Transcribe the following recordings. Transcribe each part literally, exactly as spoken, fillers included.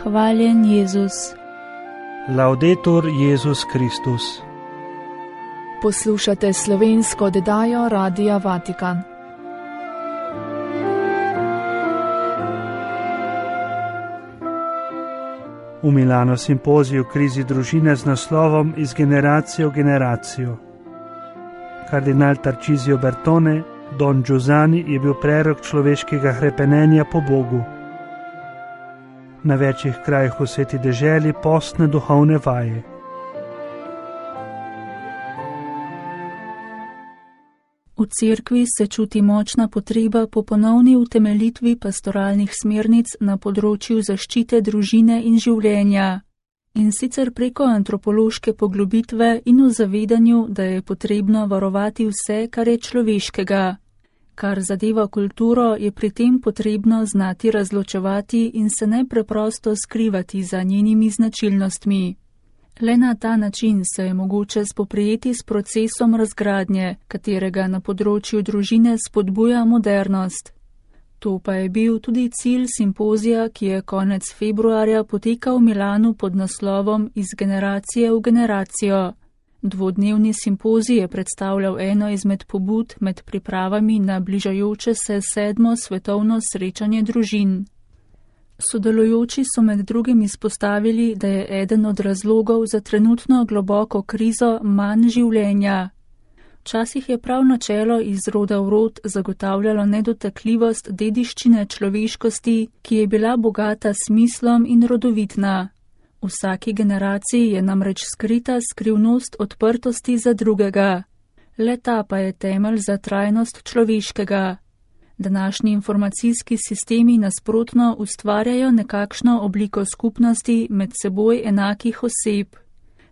Hvaljen Jezus. Laudetur Jezus Kristus. Poslušate slovensko oddajo Radia Vatikan. V Milanu simpozij v krizi družine z naslovom Iz generacije v generacijo. Kardinal Tarcisio Bertone, Don Giussani, je bil prerok človeškega hrepenenja po Bogu. Na večjih krajih v sveti deželi postne duhovne vaje. V cerkvi se čuti močna potreba po ponovni utemeljitvi pastoralnih smernic na področju zaščite družine in življenja, in sicer preko antropološke poglobitve in v zavedanju, da je potrebno varovati vse, kar je človeškega. Kar zadeva kulturo, je pri tem potrebno znati razločevati in se ne preprosto skrivati za njenimi značilnostmi. Le na ta način se je mogoče spoprijeti s procesom razgradnje, katerega na področju družine spodbuja modernost. To pa je bil tudi cilj simpozija, ki je konec februarja potekal v Milanu pod naslovom Iz generacije v generacijo. Dvodnevni simpozij je predstavljal eno izmed pobud med pripravami na bližajoče se sedmo svetovno srečanje družin. Sodelujoči so med drugim izpostavili, da je eden od razlogov za trenutno globoko krizo manj življenja. Včasih je prav načelo iz roda v rod zagotavljalo nedotakljivost dediščine človeškosti, ki je bila bogata smislom in rodovitna. V vsaki generaciji je namreč skrita skrivnost odprtosti za drugega. Le ta pa je temelj za trajnost človeškega. Današnji informacijski sistemi nasprotno ustvarjajo nekakšno obliko skupnosti med seboj enakih oseb.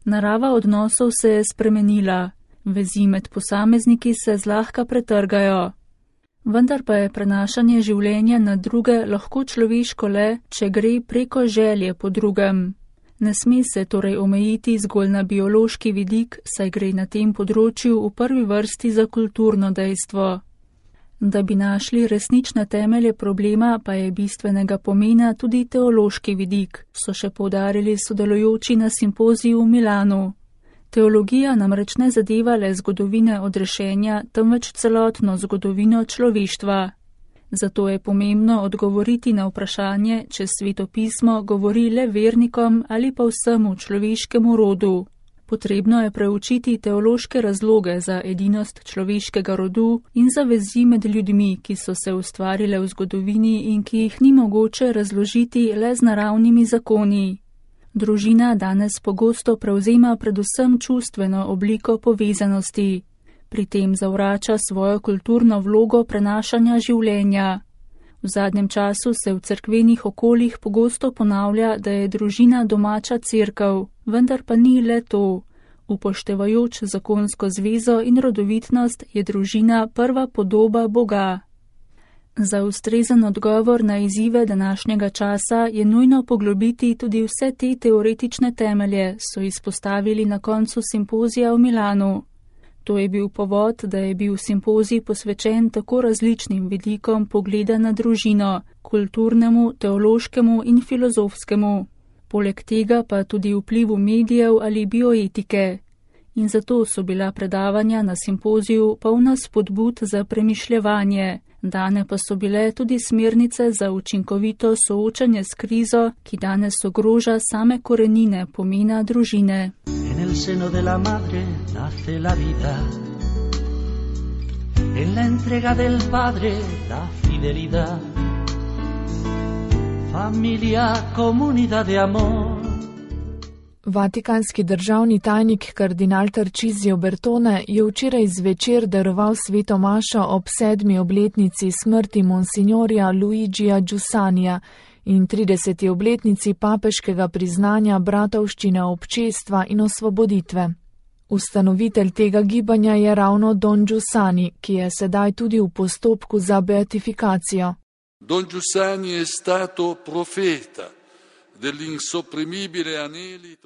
Narava odnosov se je spremenila, vezi med posamezniki se zlahka pretrgajo. Vendar pa je prenašanje življenja na druge lahko človeško le, če gre preko želje po drugem. Ne sme se torej omejiti zgolj na biološki vidik, saj gre na tem področju v prvi vrsti za kulturno dejstvo. Da bi našli resnične temelje problema, pa je bistvenega pomena tudi teološki vidik, so še poudarili sodelujoči na simpoziju v Milanu. Teologija namreč ne zadeva le zgodovine odrešenja, temveč celotno zgodovino človeštva. Zato je pomembno odgovoriti na vprašanje, če Sveto pismo govori le vernikom ali pa vsemu človeškemu rodu. Potrebno je preučiti teološke razloge za edinost človeškega rodu in za vezi med ljudmi, ki so se ustvarile v zgodovini in ki jih ni mogoče razložiti le z naravnimi zakoni. Družina danes pogosto prevzema predvsem čustveno obliko povezanosti. Pri tem zavrača svojo kulturno vlogo prenašanja življenja. V zadnjem času se v cerkvenih okoljih pogosto ponavlja, da je družina domača cerkev, vendar pa ni le to. Upoštevajoč zakonsko zvezo in rodovitnost je družina prva podoba Boga. Za ustrezen odgovor na izzive današnjega časa je nujno poglobiti tudi vse te teoretične temelje, so izpostavili na koncu simpozija v Milanu. To je bil povod, da je bil simpozij posvečen tako različnim vidikom pogleda na družino, kulturnemu, teološkemu in filozofskemu. Poleg tega pa tudi vplivu medijev ali bioetike. In zato so bila predavanja na simpoziju polna spodbud za premišljevanje. Dane pa so bile tudi smernice za učinkovito soočanje s krizo, ki danes ogroža same korenine pomena družine. En el seno de la madre nace la vida, en la entrega del padre la fidelidad, familia, comunidad de amor. Vatikanski državni tajnik kardinal Tarcisio Bertone je včeraj zvečer daroval sveto mašo ob sedmi obletnici smrti monsignorja Luigija Giussanija in trideseti obletnici papeškega priznanja bratovščine občestva in osvoboditve. Ustanovitelj tega gibanja je ravno Don Giussani, ki je sedaj tudi v postopku za beatifikacijo. Don Giussani je stato profeta.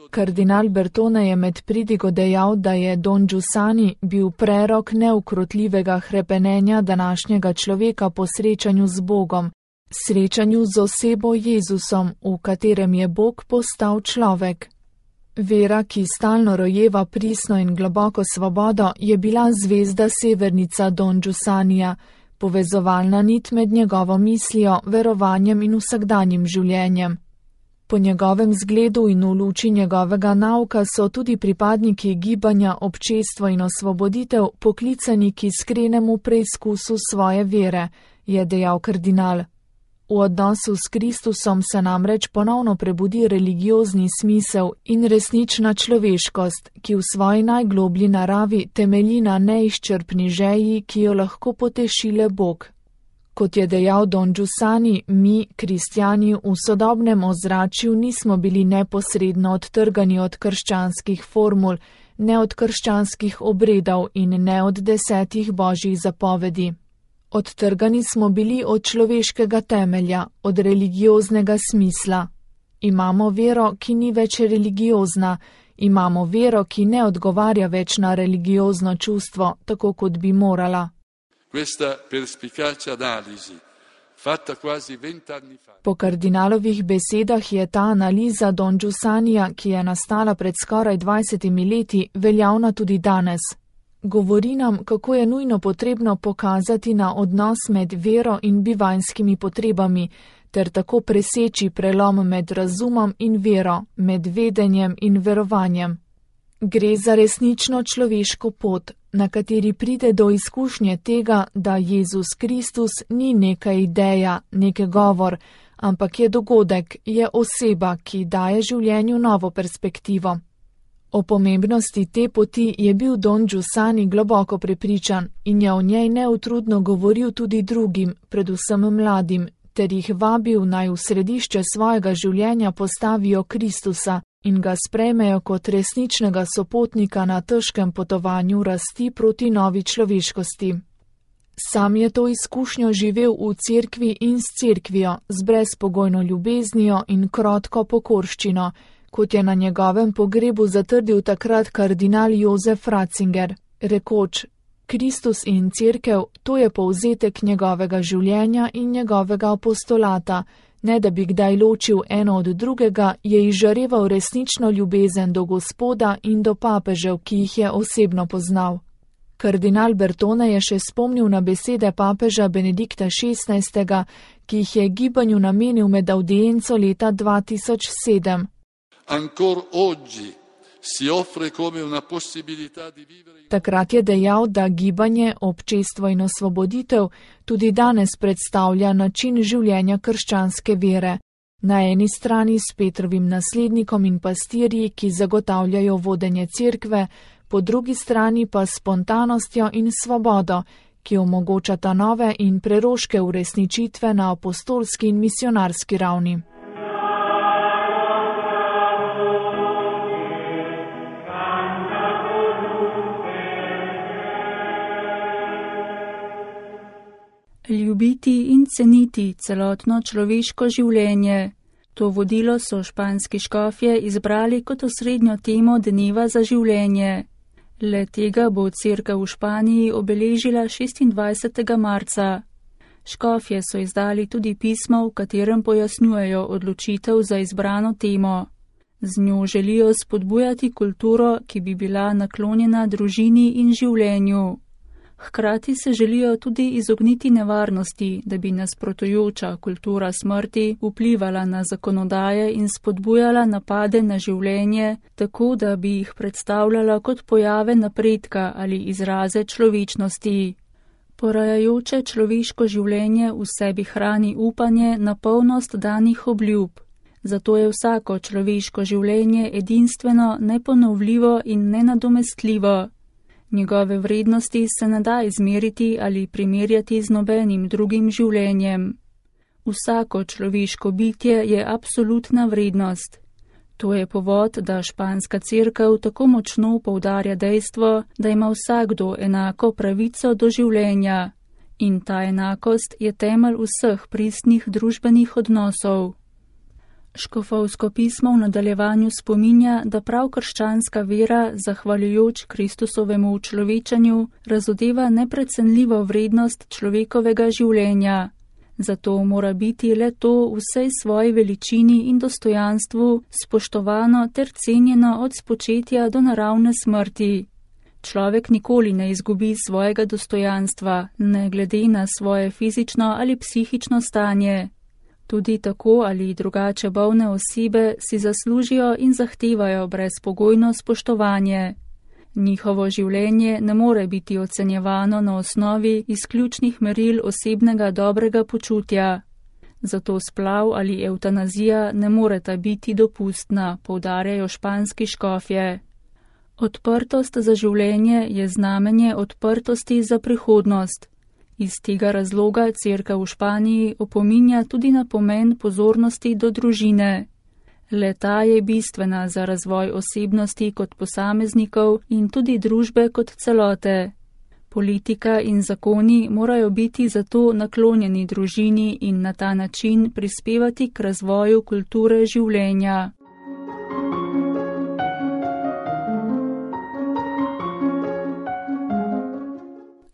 Kardinal Bertone je med pridigo dejal, da je Don Giussani bil prerok neukrotljivega hrepenenja današnjega človeka po srečanju z Bogom, srečanju z osebo Jezusom, v katerem je Bog postal človek. Vera, ki stalno rojeva pristno in globoko svobodo, je bila zvezda severnica Don Giussanija, povezovalna nit med njegovo mislijo, verovanjem in vsakdanjim življenjem. Po njegovem zgledu in v luči njegovega nauka so tudi pripadniki gibanja Občestvo in osvoboditev poklicani k iskrenemu preizkusu svoje vere, je dejal kardinal. V odnosu s Kristusom se namreč ponovno prebudi religiozni smisel in resnična človeškost, ki v svoji najgloblji naravi temelji na neizčrpni želji, ki jo lahko poteši le Bog. Kot je dejal Don Giussani, mi, kristjani, v sodobnem ozračju nismo bili neposredno odtrgani od krščanskih formul, ne od krščanskih obredov in ne od desetih božjih zapovedi. Odtrgani smo bili od človeškega temelja, od religioznega smisla. Imamo vero, ki ni več religiozna, imamo vero, ki ne odgovarja več na religiozno čustvo, tako kot bi morala. Po kardinalovih besedah je ta analiza Don Giussanija, ki je nastala pred skoraj dvajsetimi leti, veljavna tudi danes. Govori nam, kako je nujno potrebno pokazati na odnos med vero in bivanjskimi potrebami, ter tako preseči prelom med razumom in vero, med vedenjem in verovanjem. Gre za resnično človeško pot, na kateri pride do izkušnje tega, da Jezus Kristus ni neka ideja, nek govor, ampak je dogodek, je oseba, ki daje življenju novo perspektivo. O pomembnosti te poti je bil Don Giussani globoko prepričan in je o njej neutrudno govoril tudi drugim, predvsem mladim, ter jih vabil naj v središče svojega življenja postavijo Kristusa in ga sprejmejo kot resničnega sopotnika na težkem potovanju rasti proti novi človeškosti. Sam je to izkušnjo živel v cerkvi in s cerkvijo, z brezpogojno ljubeznijo in krotko pokorščino, kot je na njegovem pogrebu zatrdil takrat kardinal Jozef Ratzinger, rekoč: Kristus in cerkev, to je povzetek njegovega življenja in njegovega apostolata, ne da bi kdaj ločil eno od drugega, je izžareval resnično ljubezen do Gospoda in do papežev, ki jih je osebno poznal. Kardinal Bertone je še spomnil na besede papeža Benedikta šestnajstega, ki jih je gibanju namenil med audienco leta dva tisoč sedem. Takrat je dejal, da gibanje Občestvo in osvoboditev tudi danes predstavlja način življenja krščanske vere. Na eni strani s Petrovim naslednikom in pastirji, ki zagotavljajo vodenje cerkve, po drugi strani pa s spontanostjo in svobodo, ki omogočata nove in preroške uresničitve na apostolski in misionarski ravni. Ljubiti in ceniti celotno človeško življenje. To vodilo so španski škofje izbrali kot osrednjo temo dneva za življenje. Le tega bo cerkev v Španiji obeležila šestindvajsetega marca. Škofje so izdali tudi pismo, v katerem pojasnjujejo odločitev za izbrano temo. Z njo želijo spodbujati kulturo, ki bi bila naklonjena družini in življenju. Hkrati se želijo tudi izogniti nevarnosti, da bi nasprotujoča kultura smrti vplivala na zakonodaje in spodbujala napade na življenje, tako da bi jih predstavljala kot pojave napredka ali izraze človečnosti. Porajajoče človeško življenje v sebi hrani upanje na polnost danih obljub. Zato je vsako človeško življenje edinstveno, neponovljivo in nenadomestljivo. Njegove vrednosti se ne da izmeriti ali primerjati z nobenim drugim življenjem. Vsako človeško bitje je absolutna vrednost. To je povod, da španska cerkev tako močno poudarja dejstvo, da ima vsakdo enako pravico do življenja. In ta enakost je temelj vseh pristnih družbenih odnosov. Škofovsko pismo v nadaljevanju spominja, da prav krščanska vera, zahvaljujoč Kristusovemu učlovečanju, razodeva neprecenljivo vrednost človekovega življenja. Zato mora biti le to v vsej svoji veličini in dostojanstvu spoštovano ter cenjeno od spočetja do naravne smrti. Človek nikoli ne izgubi svojega dostojanstva, ne glede na svoje fizično ali psihično stanje. Tudi tako ali drugače bolne osebe si zaslužijo in zahtevajo brezpogojno spoštovanje. Njihovo življenje ne more biti ocenjevano na osnovi izključnih meril osebnega dobrega počutja. Zato splav ali evtanazija ne moreta biti dopustna, poudarjajo španski škofje. Odprtost za življenje je znamenje odprtosti za prihodnost. Iz tega razloga Cerkev v Španiji opominja tudi na pomen pozornosti do družine. Le-ta je bistvena za razvoj osebnosti kot posameznikov in tudi družbe kot celote. Politika in zakoni morajo biti zato naklonjeni družini in na ta način prispevati k razvoju kulture življenja.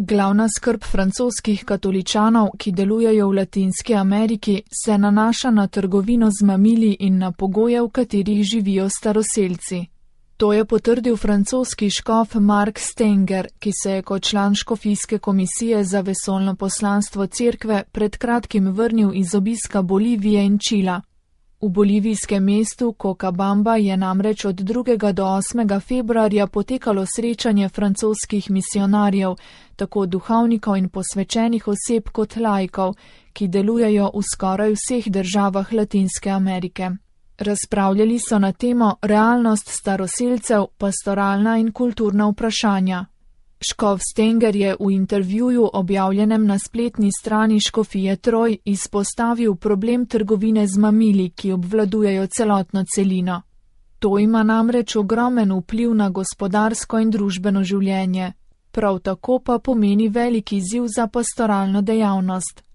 Glavna skrb francoskih katoličanov, ki delujejo v Latinski Ameriki, se nanaša na trgovino z mamili in na pogoje, v katerih živijo staroselci. To je potrdil francoski škof Mark Stenger, ki se je kot član škofijske komisije za vesoljno poslanstvo cerkve pred kratkim vrnil iz obiska Bolivije in Čila. V bolivijskem mestu Cochabamba je namreč od drugega do osmega februarja potekalo srečanje francoskih misionarjev, tako duhovnikov in posvečenih oseb kot laikov, ki delujejo v skoraj vseh državah Latinske Amerike. Razpravljali so na temo realnost staroselcev, pastoralna in kulturna vprašanja. Škof Stenger je v intervjuju objavljenem na spletni strani škofije Troj izpostavil problem trgovine z mamili, ki obvladujejo celotno celino. To ima namreč ogromen vpliv na gospodarsko in družbeno življenje. Prav tako pa pomeni velik izziv za pastoralno dejavnost.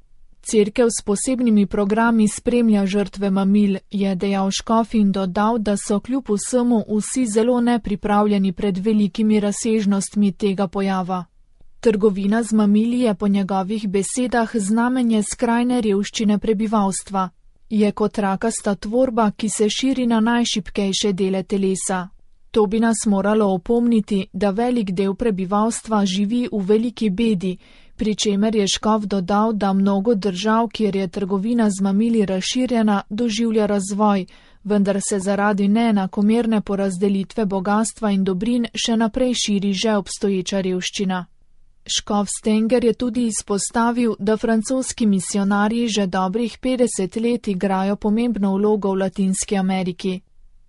Cerkev s posebnimi programi spremlja žrtve mamil, je dejal škof in dodal, da so kljub vsemu vsi zelo nepripravljeni pred velikimi razsežnostmi tega pojava. Trgovina z mamili je po njegovih besedah znamenje skrajne revščine prebivalstva. Je kot rakasta tvorba, ki se širi na najšibkejše dele telesa. To bi nas moralo opomniti, da velik del prebivalstva živi v veliki bedi, pri čemer je škof dodal, da mnogo držav, kjer je trgovina z mamili razširjena, doživlja razvoj, vendar se zaradi neenakomerne porazdelitve bogastva in dobrin še naprej širi že obstoječa revščina. Škof Stenger je tudi izpostavil, da francoski misionarji že dobrih petdeset let igrajo pomembno vlogo v Latinski Ameriki.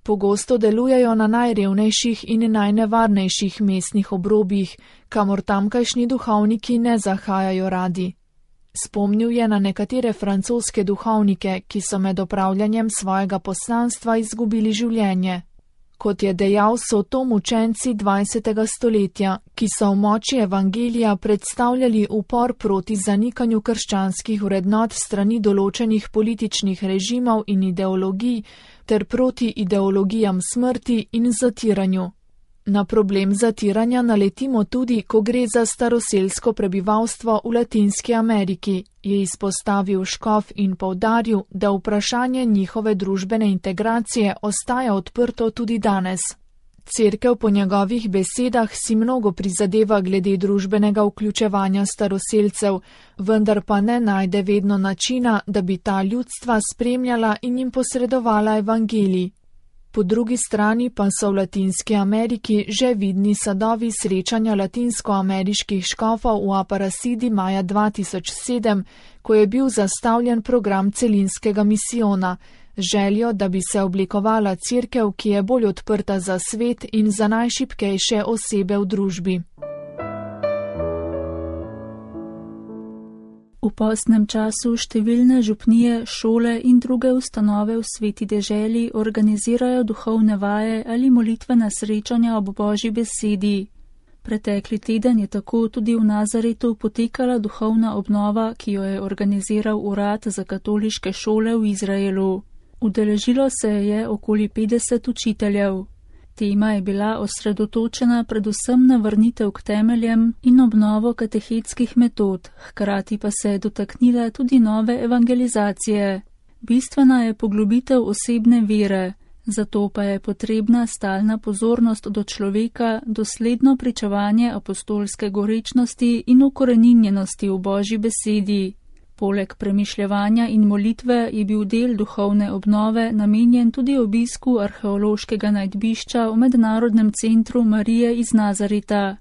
Pogosto delujejo na najrevnejših in najnevarnejših mestnih obrobjih, kamor tamkajšnji duhovniki ne zahajajo radi. Spomnil je na nekatere francoske duhovnike, ki so med opravljanjem svojega poslanstva izgubili življenje. Kot je dejal, so to mučenci dvajsetega stoletja, ki so v moči evangelija predstavljali upor proti zanikanju krščanskih vrednot strani določenih političnih režimov in ideologij ter proti ideologijam smrti in zatiranju. Na problem zatiranja naletimo tudi, ko gre za staroselsko prebivalstvo v Latinski Ameriki, je izpostavil škof in poudaril, da vprašanje njihove družbene integracije ostaja odprto tudi danes. Cerkev po njegovih besedah si mnogo prizadeva glede družbenega vključevanja staroselcev, vendar pa ne najde vedno načina, da bi ta ljudstva spremljala in jim posredovala evangelij. Po drugi strani pa so v Latinski Ameriki že vidni sadovi srečanja latinskoameriških škofov v Aparecidi maja dva tisoč sedem, ko je bil zastavljen program celinskega misijona, željo, da bi se oblikovala cerkev, ki je bolj odprta za svet in za najšibkejše osebe v družbi. V postnem času številne župnije, šole in druge ustanove v sveti deželi organizirajo duhovne vaje ali molitvena srečanja ob Božji besedi. Pretekli teden je tako tudi v Nazaretu potekala duhovna obnova, ki jo je organiziral Urad za katoliške šole v Izraelu. Udeležilo se je okoli petdeset učiteljev. Tema je bila osredotočena predvsem na vrnitev k temeljem in obnovo katehetskih metod, hkrati pa se je dotaknila tudi nove evangelizacije. Bistvena je poglobitev osebne vere, zato pa je potrebna stalna pozornost do človeka, dosledno pričevanje apostolske gorečnosti in ukoreninjenosti v Božji besedi. Poleg premišljevanja in molitve je bil del duhovne obnove namenjen tudi obisku arheološkega najdbišča v Mednarodnem centru Marije iz Nazareta.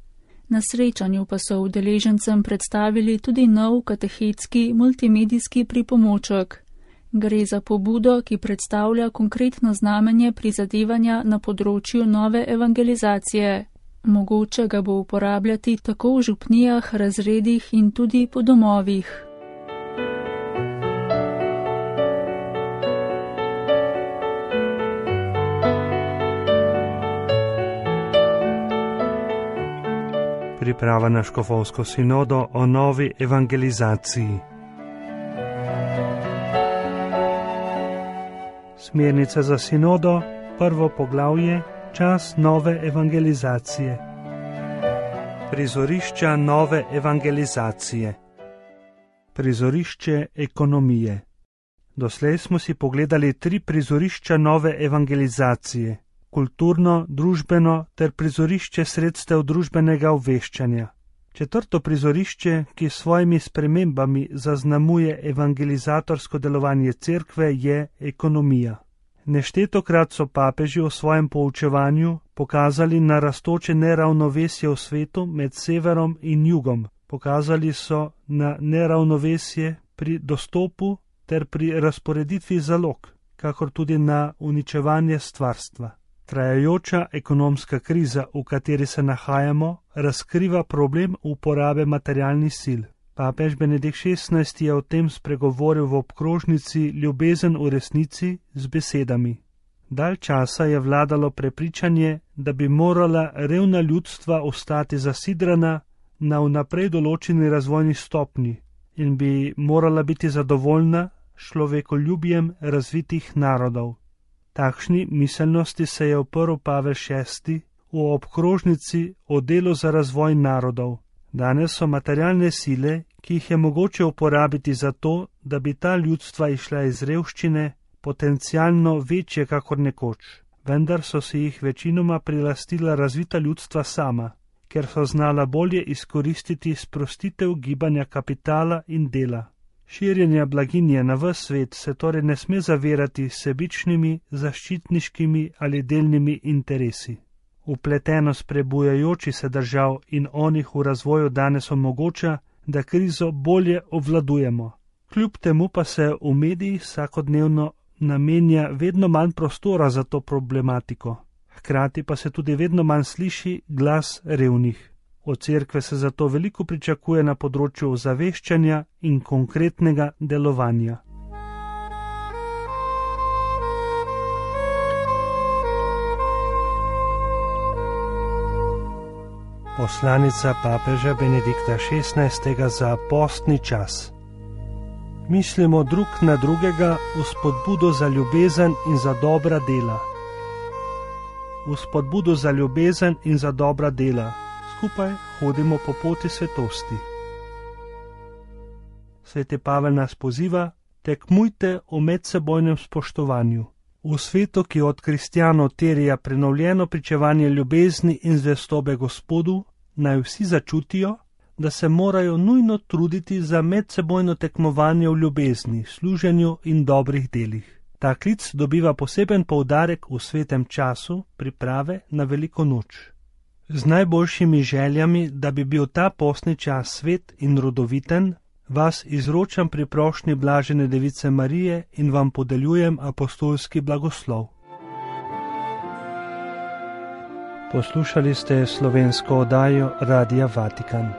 Na srečanju pa so udeležencem predstavili tudi nov katehetski multimedijski pripomoček. Gre za pobudo, ki predstavlja konkretno znamenje prizadevanja na področju nove evangelizacije. Mogoče ga bo uporabljati tako v župnijah, razredih in tudi po domovih. Priprava na škofovsko sinodo o novi evangelizaciji. Smernica za sinodo, prvo poglavje, čas nove evangelizacije. Prizorišča nove evangelizacije. Prizorišče ekonomije. Doslej smo si pogledali tri prizorišča nove evangelizacije: kulturno, družbeno ter prizorišče sredstev družbenega obveščanja. Četrto prizorišče, ki s svojimi spremembami zaznamuje evangelizatorsko delovanje cerkve, je ekonomija. Neštetokrat so papeži v svojem poučevanju pokazali na rastoče neravnovesje v svetu med severom in jugom. Pokazali so na neravnovesje pri dostopu ter pri razporeditvi zalog, kakor tudi na uničevanje stvarstva. Trajajoča ekonomska kriza, v kateri se nahajamo, razkriva problem uporabe materialnih sil. Papež Benedikt šestnajsti je o tem spregovoril v obkrožnici Ljubezen v resnici z besedami: Dalj časa je vladalo prepričanje, da bi morala revna ljudstva ostati zasidrana na vnaprej določeni razvojni stopnji in bi morala biti zadovoljna človekoljubjem razvitih narodov. Takšni miselnosti se je oprl Pavel šesti v obkrožnici o delu za razvoj narodov. Danes so materialne sile, ki jih je mogoče uporabiti za to, da bi ta ljudstva išla iz revščine, potencialno večje kakor nekoč. Vendar so si jih večinoma prilastila razvita ljudstva sama, ker so znala bolje izkoristiti sprostitev gibanja kapitala in dela. Širjenja blaginje na ves svet se torej ne sme zavirati s sebičnimi, zaščitniškimi ali delnimi interesi. Vpletenost prebujajoči se držav in onih v razvoju danes omogoča, da krizo bolje obvladujemo. Kljub temu pa se v medijih vsakodnevno namenja vedno manj prostora za to problematiko. Hkrati pa se tudi vedno manj sliši glas revnih. Od cerkve se zato veliko pričakuje na področju ozaveščanja in konkretnega delovanja. Poslanica papeža Benedikta šestnajstega za postni čas. Mislimo drug na drugega v spodbudo za ljubezen in za dobra dela. V spodbudo za ljubezen in za dobra dela. Skupaj hodimo po poti svetosti. Sveti Pavel nas poziva: tekmujte v medsebojnem spoštovanju. V svetu, ki od kristjanov terja prenovljeno pričevanje ljubezni in zvestobe Gospodu, naj vsi začutijo, da se morajo nujno truditi za medsebojno tekmovanje v ljubezni, služenju in dobrih delih. Ta klic dobiva poseben poudarek v svetem času priprave na veliko noč. Z najboljšimi željami, da bi bil ta postni čas svet in rodoviten, vas izročam pri prošnji blažene device Marije in vam podeljujem apostolski blagoslov. Poslušali ste slovensko oddajo Radia Vatikan.